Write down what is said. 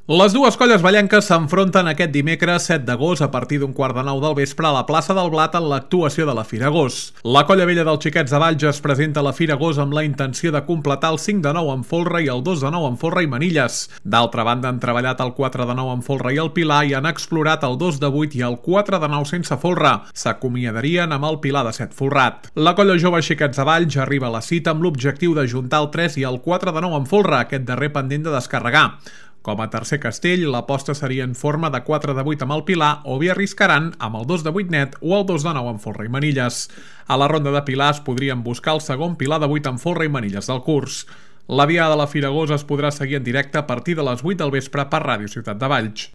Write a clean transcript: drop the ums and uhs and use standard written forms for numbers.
Les dues colles vallenques s'enfronten aquest dimecres 7 d'agost a partir d'un 8:45 del vespre a la plaça del Blat en l'actuació de la Fira Gos. La colla vella dels Xiquets de Valls es presenta a la Fira Gos amb la intenció de completar el 5 de 9 amb folre i el 2 de 9 amb folre i manilles. D'altra banda, han treballat el 4 de 9 amb folre i el pilar i han explorat el 2 de 8 i el 4 de 9 sense folre. S'acomiadarien amb el pilar de 7 folrat. La colla jove Xiquets de Valls arriba a la cita amb l'objectiu d'ajuntar el 3 i el 4 de 9 amb folre, aquest darrer pendent de descarregar. Com a tercer castell, l'aposta seria en forma de 4 de 8 amb el pilar o bé arriscaran amb el 2 de 8 net o el 2 de 9 amb folre i manilles. A la ronda de pilars podrien buscar el segon pilar de 8 amb folre i manilles del curs. La diada de la Fira Gos es podrà seguir en directe a partir de les 8 del vespre per Ràdio Ciutat de Valls.